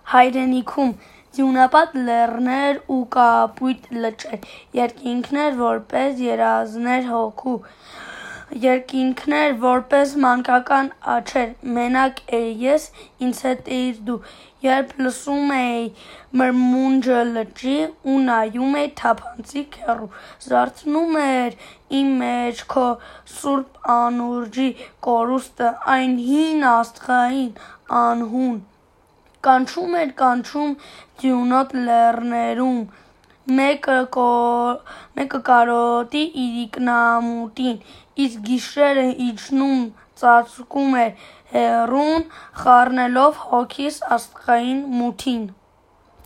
հայրենիքում ձյունապատ լեռներ ու կապույտ լճեր, երկինքներ որպես երազներ հոգու, երկինքներ որպես մանկական աչեր, մենակ էի ես, ինձ հետ էիր դու, երբ լսում էի մրմունջը լճի ու նայում էի թափանցիկ հեռու, զարթնում էր իմ մեջ քո սուրբ անուրջի կորուստը, այն հին աստղային անհուն, կանչում էր կանչում ձյունոտ լեռներում, մեկը կարոտի իրիկնամուտին, իսկ գիշերը իջնում ծածկում էր հեռուն, խառնելով հոգիս աստղային մութին: